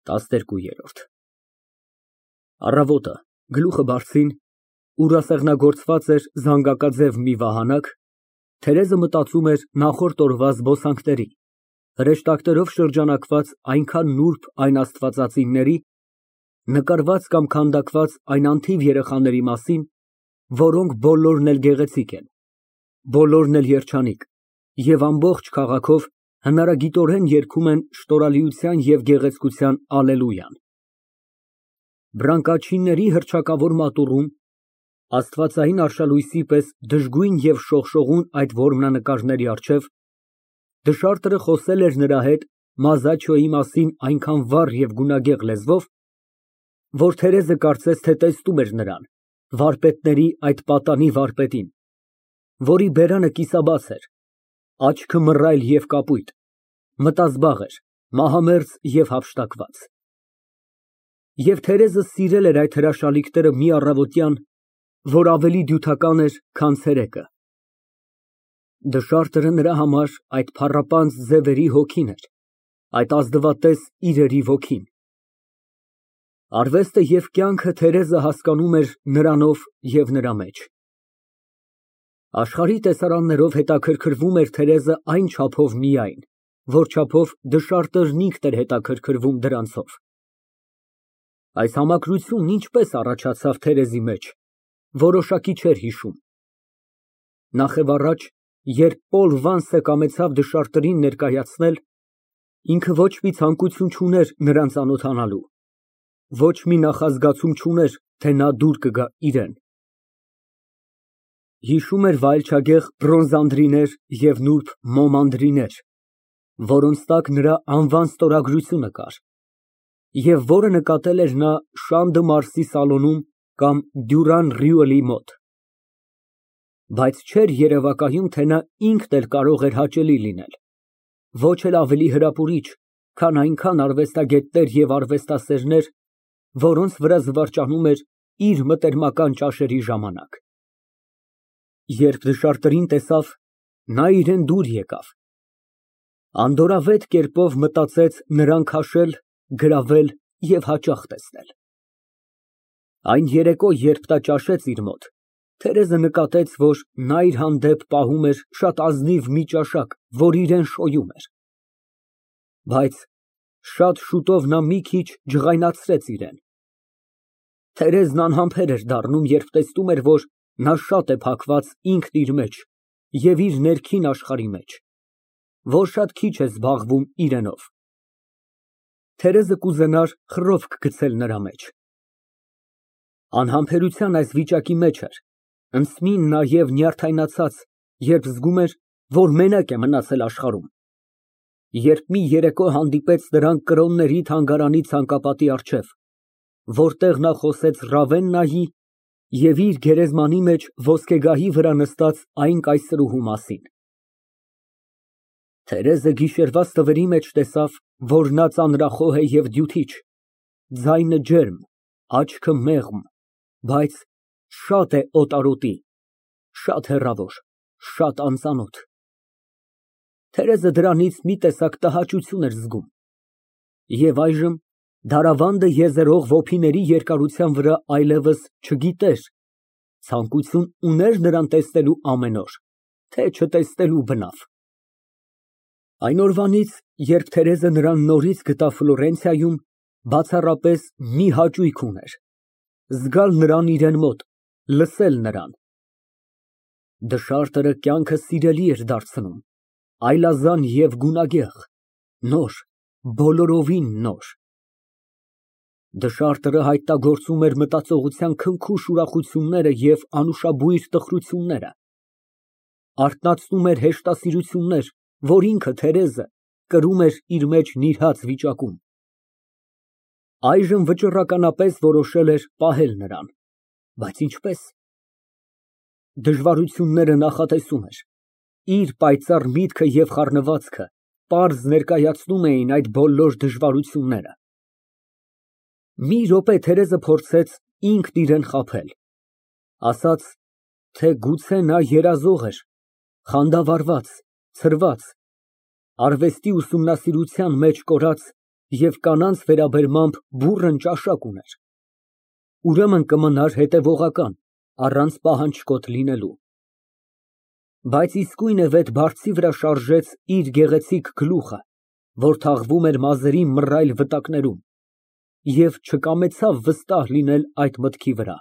12։ Առավոտը, գլուխը բարձրին, ուրասեղնագործված էր զանգակաձև մի վահանակ, Թերեզը մտածում էր նախորդ օրվա զբոսանքների, հրեշտակներով շրջանակված այնքան նուրբ այն աստվածածինների, նկարված կամ քանդակված այն անթիվ երեխաների մասին, որոնք բոլորն էլ գեղեցիկ են, բոլորն էլ երջանիկ և ամբողջ քաղաքով հնարագիտորեն երգում են շտորալիության և գեղեցկության ալելույան։ Բռանկաչինների հռչակավոր մատուռում, աստվածային արշալույսի պես դժգույն և շողշողուն այդ որմնանկարների առջև, դշարտը խոսել էր նրա հետ Մազաչոյի մասին այնքան վառ և գունագեղ լեզվով, որ Թերեզը կարծես թե տեսնում էր նրան, վարպետների այդ պատանի վարպետին, որի բերանը կիսաբաց էր, աչքը մռայլ և կապույտ, մտազբաղ էր, մահամերձ և հափշտակված։ Եվ Թերեզը սիրել էր այդ հրաշալիքները մի առավոտյան, որ ավելի դյութական էր, քան ցերեկը։ Դշարտը նրա համար այդ փառապանծ ձևերի հոգին էր, այդ ազնվատես իրերի ոգին։ Արվեստը և կյանքը Թերեզը հասկանում էր նրանով և նրա մեջ։ Աշխարհի տեսարաններով հետաքրքրվում էր Թերեզը այն չափով միայն, որ չափով դշարտն ինքն էր հետաքրքրվում դրանցով։ Այս համակրությունն ինչպես առաջացավ Թերեզի մեջ, որոշակի չէր հիշում։ Նախևառաջ, երբ Պոլ Վանսը կամեցավ դշարտներին ներկայացնել, ինքը ոչ մի ցանկություն չուներ նրան ծանոթանալու, ոչ մի նախազգացում չուներ, թե նա դուր կգա իրան։ Հիշում էր վայելչագեղ բրոնզանդրիներ և նուրբ մոմանդրիներ, որոնց տակ նրա անվան ստորագրությունը կար, և որը նկատել էր նա Շան դը Մարսի սալոնում կամ Դյուրան Ռյուելի մոտ։ Բայց չէր երևակայում, թե նա ինքն էլ կարող էր հաճելի լինել, ոչ էլ ավելի հրապուրիչ, քան այնքան արվեստագետներ և արվեստասերներ, որոնց վրա զվարճանում էր իր մտերմական ճաշերի ժամանակ։ Երբ դշարտներին տեսավ, նա իրան դուր եկավ, անդորրավետ կերպով մտածեց նրան քաշել, գրավել և հաճախ տեսնել։ Այն երեկո, երբ նա ճաշեց իր մոտ, Թերեզը նկատեց, որ նա իր հանդեպ պահում էր շատ ազնիվ մի ճաշակ, որ իրան շոյում էր։ Բայց շատ շուտով նա մի քիչ ջղայնացրեց իրան։ Թերեզն անհամբեր էր դառնում, երբ տեսնում էր, որ նա շատ է փակված ինքն իր մեջ և իր ներքին աշխարհի մեջ, որ շատ քիչ է զբաղվում իրենով։ Թերեզը կուզենար խռովք գցել նրա մեջ։ Անհամբերության այս վիճակի մեջ էր, ընդսմին նայև նյարդայնացած, երբ զգում էր, որ մենակ է մնացել աշխարհում, երբ մի երեկո հանդիպեց նրան Կրոնների թանգարանի ցանկապատի առջև, որտեղ նա խոսեց Ռավեննայի և իր գերեզմանի մեջ ոսկեգահի վրա նստած այն կայսրուհու մասին։ Թերեզը գիշերվա ստվերի մեջ տեսավ, որ նա ծանրախոհ է և դյութիչ, ձայնը ջերմ, աչքը մեղմ, բայց շատ է օտարոտի, շատ հեռավոր, շատ անծանոթ։ Թերեզը դրանից մի տեսակ տհաճություն էր զգում։ Եվ այժմ դարավանդը եզերող ոփիների երկարության վրա այլևս չգիտեր, ցանկություն ուներ նրան տեսնելու ամեն օր, թե չտեսնելու բնավ։ Այն օրվանից, երբ Թերեզը նրան նորից գտավ Ֆլորենցիայում, բացառապես մի հաճույք ուներ, զգալ նրան իրան մոտ, լսել նրան։ Դշարտը կյանքը սիրելի էր դարձնում, այլազան և գունագեղ, նոր, բոլորովին նոր։ Դշարտը հայտնագործում էր մտածողության քնքուշ ուրախությունները և անուշաբույր տխրությունները, արթնացնում էր հեշտասիրություններ, որ ինքը, Թերեզը, կրում էր իր մեջ նիրհած վիճակում։ Այժմ վճռականապես որոշել էր պահել նրան, բայց ինչպե՞ս։ Դժվարությունները նախատեսում էր, իր պայծառ միտքը և խառնվածքը պարզ ներկայացնում էին այդ բոլոր դժվարությունները։ Մի րոպե Թերեզը փորձեց ինքն իրան խաբել, ասաց, թե գուցե նա երազող էր, խանդավառված, ցրված, արվեստի ուսումնասիրության մեջ կորած և կանանց վերաբերմամբ բուռն ճաշակ ուներ, ուրեմն կմնար հետևողական, առանց պահանջկոտ լինելու։ Բայց իսկույն է վետ բարձի վրա շարժեց իր գեղեցիկ գլուխը, որ թաղվում էր մազերի մռայլ վտակներում, և չկամեցավ վստահ լինել այդ մտքի վրա։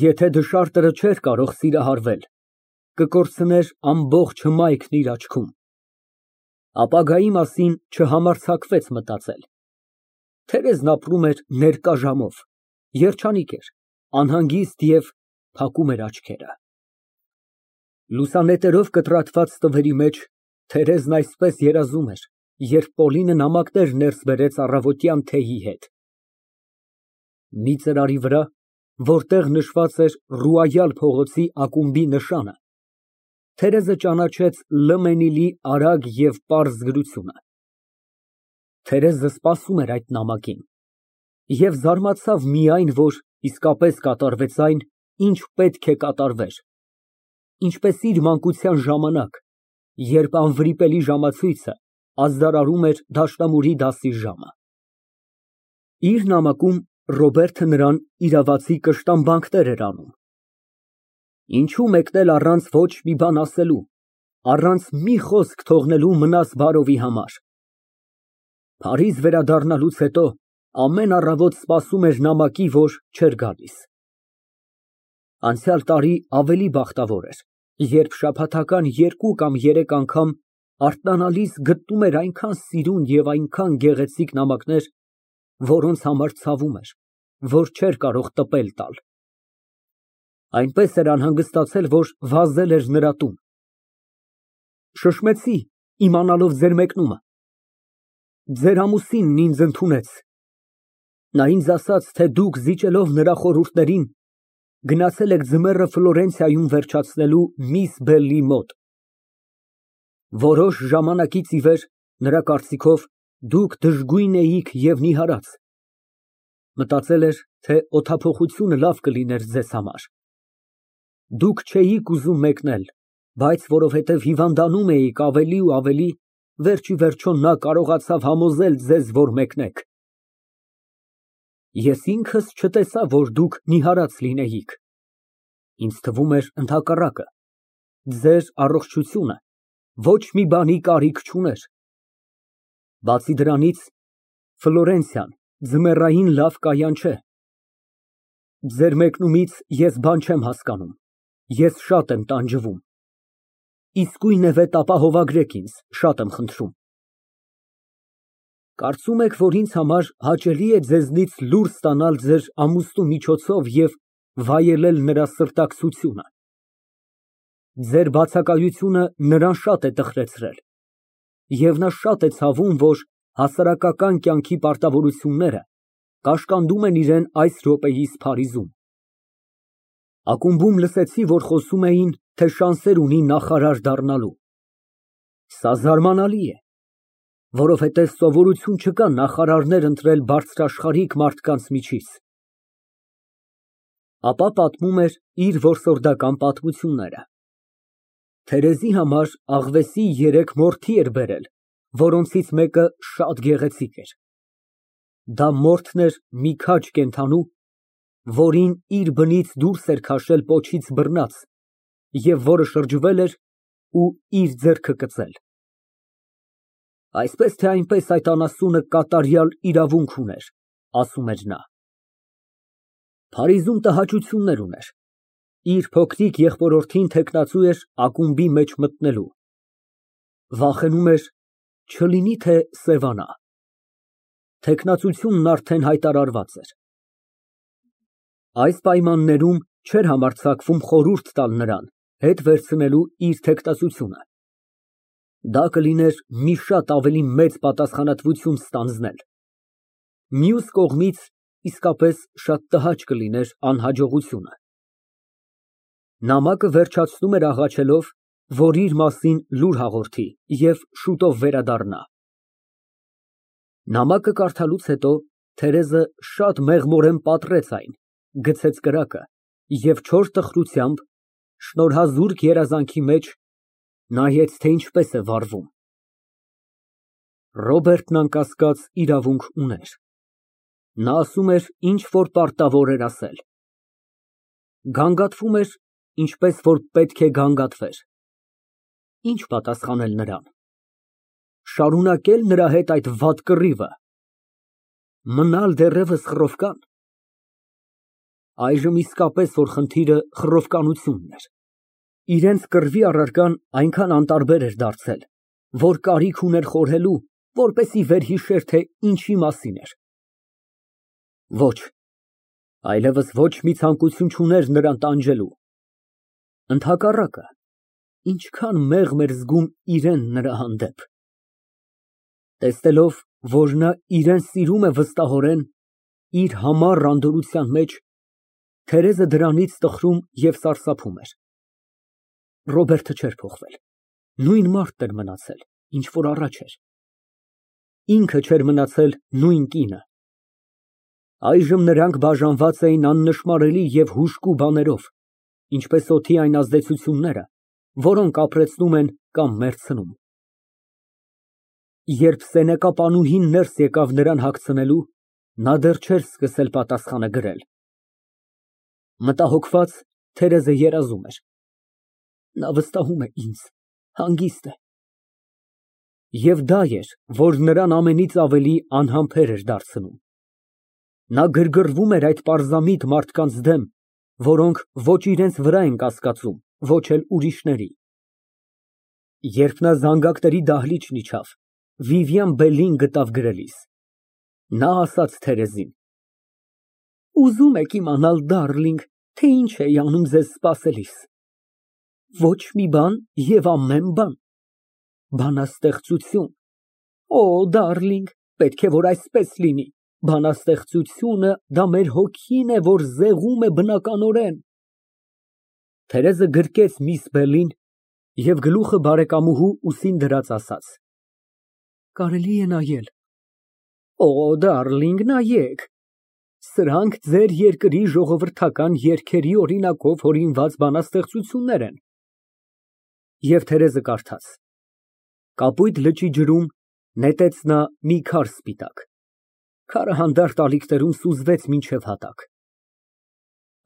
Եթե դժարտերը չէր կարող սիրահարվել, կկորցներ ամբողջ հմայքն իր աչքում։ Ապագայի մասին չհամարձակվեց մտածել։ Թերեզն ապրում էր ներկա ժամով, երջանիկ էր, անհանգիստ և փակում էր աչքերը։ Լուսանետերով կտրատված տղերի մեջ Թերեզն այսպես երազում էր, երբ Պոլինը նամակներ ներս բերեց առավոտյան թեյի հետ։ Մի ծրարի վրա, որտեղ նշված էր Ռուայալ փողոցի ակումբի նշանը, Թերեզը ճանաչեց Լըմենիլի արագ և պարզ գրությունը։ Թերեզը սպասում էր այդ նամակին և զարմացավ միայն, որ իսկապես կատարվեց այն, ինչ պետք է կատարվեր, ինչպես իր մանկության ժամանակ, երբ անվրիպելի ժամացույցը ազդարարում էր դաշնամուրի դասի ժամը։ Իր նամակում Ռոբերտը նրան իրավացի կշտամբանքներ էր անում։ Ինչո՞ւ մեկնել առանց ոչ մի բան ասելու, առանց մի խոսք թողնելու մնաս բարովի համար։ Փարիզ վերադառնալուց հետո ամեն առավոտ սպասում էր նամակի, որ չէր գալիս։ Անցյալ տարի ավելի բախտավոր էր, երբ շաբաթական 2 կամ 3 անգամ արթնանալիս գտնում էր այնքան սիրուն և այնքան գեղեցիկ նամակներ, որոնց համար ցավում էր, որ չէր կարող տպել տալ։ Այնպես էր անհանգստացել, որ վազել էր նրա տուն։ Շշմեցի, իմանալով ձեր մեկնումը։ Ձեր ամուսինն ինձ ընդունեց։ Նա ինձ ասաց, թե դուք զիջելով նրա խորհուրդներին, գնացել եք ձմեռը Ֆլորենցիայում վերջացնելու միս Բելլի մոտ։ Որոշ ժամանակից ի վեր, նրա կարծիքով, դուք դժգույն էիք և նիհարած։ Մտածել էր, թե օդափոխությունը լավ կլիներ ձեզ համար։ Դուք չէիք ուզում մեկնել, բայց որովհետև հիվանդանում էիք ավելի ու ավելի, վերջ ի վերջո նա կարողացավ համոզել ձեզ, որ մեկնեք։ Ես ինքս չտեսա, որ դուք նիհարած լինեիք։ Ինձ թվում էր ընդհակառակը, ձեր առողջությունը ոչ մի բանի կարիք չուներ։ Բացի դրանից, Ֆլորենցիան ձմեռային լավ կայան չէ։ Ձեր մեկնումից ես բան չեմ հասկանում, ես շատ եմ տանջվում։ Իսկույն է վետ ապահովագրեք ինձ, շատ եմ խնդրում։ Կարծում եք, որ ինձ համար հաճելի է ձեզնից լուր ստանալ ձեր ամուսնու միջոցով և վայելել նրա սրտակցությունը։ Ձեր բացակայությունը նրան շատ է տխրեցրել, և նա շատ է ցավում, որ հասարակական կյանքի պարտավորությունները կաշկանդում են իրան այս րոպեիս Փարիզում։ Ակումբում լսեցի, որ խոսում էին, թե շանսեր ունի նախարար դառնալու։ Սա զարմանալի է, որովհետև սովորություն չկա նախարարներ ընտրել բարձրաշխարհիկ մարդկանց միջից։ Ապա պատմում էր իր որսորդական պատմությունները։ Թերեզի համար աղվեսի 3 մորթի էր բերել, որոնցից մեկը շատ գեղեցիկ էր։ Դա մորթն էր մի քաջ կենդանու, որին իր բնից դուրս էր քաշել պոչից բռնած և որը շրջվել էր ու իր ձեռքը կծել։ Այսպես թե այնպես այդ անասունը կատարյալ իրավունք ուներ, ասում էր նա։ Փարիզում տհաճություններ ուներ։ Իր փոքրիկ եղբորորդին թեկնածու էր ակումբի մեջ մտնելու։ Վախենում էր, չլինի թե սևանա։ Թեկնածությունն արդեն հայտարարված էր։ Այս պայմաններում չէր համարձակվում խորհուրդ տալ նրան հետ վերցնելու իր թեկնածությունը։ Դա կլիներ մի շատ ավելի մեծ պատասխանատվություն ստանձնել։ Մյուս կողմից, իսկապես շատ տհաճ կլիներ անհաջողությունը։ Նամակը վերջացնում էր աղաչելով, որ իր մասին լուր հաղորդի և շուտով վերադառնա։ Նամակը կարդալուց հետո Թերեզը շատ մեղմորեն պատռեց այն, գցեց կրակը և չոր տխրությամբ, շնորհազուրկ երազանքի մեջ նայեց, թե ինչպես է վարվում։ Ռոբերտն անկասկած իրավունք ուներ։ Նա ասում էր, ինչ որ պարտավոր էր ասել։ Գանգատվում էր, ինչպես որ պետք է գանգատվեր։ Ինչ պատասխանել նրան։ Շարունակե՞լ նրա հետ այդ վատ կռիվը։ Մնալ դեռևս խռովկան։ Այժմ իսկապես որ խնդիրը խռովկանությունն էր։ Իրենց կռվի առարկան այնքան անտարբեր էր դարձել, որ կարիք ուներ խորհելու, որպեսզի վերհիշեր, թե ինչի մասին էր։ Ոչ, այլևս ոչ մի ցանկություն չուներ նրան տանջելու։ Ընդհակառակը, ինչքան մեղմ էր զգում իրեն նրա հանդեպ։ Տեսնելով, որ նա իրեն սիրում է վստահորեն, իր համառ անդորրության մեջ, Թերեզը դրանից տխրում և սարսափում էր։ Ռոբերտը չէր փոխվել, նույն մարդն էր մնացել, ինչ որ առաջ էր։ Ինքը չէր մնացել նույն կինը։ Այժմ նրանք բաժանված էին աննշմարելի և հուժկու բաներով, ինչպես օդի այն ազդեցությունները, որոնք ապրեցնում են կամ մեռցնում։ Երբ սենյակապանուհին ներս եկավ նրան հագցնելու, նա դեռ չէր սկսել պատասխանը գրել։ Մտահոգված, Թերեզը երազում էր։ Նա վստահում է ինձ, հանգիստ է։ Եվ դա էր, որ նրան ամենից ավելի անհամբեր էր դարձնում։ Նա գրգռվում էր այդ պարզամիտ մարդկանց դեմ, որոնք ոչ իրենց վրա են կասկածում, ոչ էլ ուրիշների։ Երբ նա զանգակների դահլիճն իջավ, Վիվիան Բելլին գտավ գրելիս։ Նա ասաց Թերեզին. Ուզում եք իմանալ, դարլինգ, թե ինչ էի անում ձեզ սպասելիս։ Ոչ մի բան և ամեն բան։ Բանաստեղծություն։ Օ, դարլինգ, պետք է որ այսպես լինի։ Բանաստեղծությունը դա մեր հոգին է, որ զեղում է բնականորեն։ Թերեզը գրկեց միս Բելլին և գլուխը բարեկամուհու ուսին դրած ասաց. Կարելի է նայել։ Օ, դարլինգ, նայեք։ Սրանք ձեր երկրի ժողովրդական երգերի օրինակով հորինված բանաստեղծություններ են։ Եվ Թերեզը կարդաց։ Կապույտ լճի ջրում նետեց նա մի քար սպիտակ։ Քարը հանդարտ ալիքներում սուզվեց մինչև հատակ։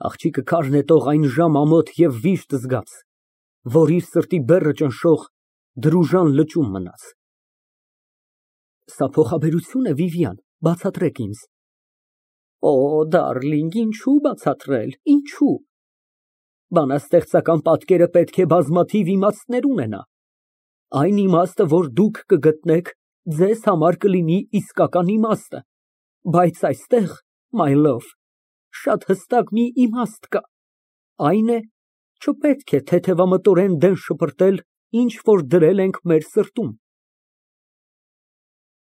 Աղջիկը քար նետող այն ժամ ամոթ և վիշտ զգաց, որ իր սրտի բեռը ճնշող դրուժան լճում մնաց։ Սա փոխաբերություն է, Վիվիան, բացատրեք ինձ։ Օ, դարլինգ, ինչու բացատրել, ինչու։ Բանաստեղծական պատկերը պետք է բազմաթիվ իմաստներ ունենա։ Այն իմաստը, որ դուք կգտնեք, ձեզ համար կլինի իսկական իմաստը, բայց այստեղ, my love, շատ հստակ մի իմաստ կա, այն է, չպետք է թեթևամտորեն դեն շպրտել, ինչ որ դրել ենք մեր սրտում։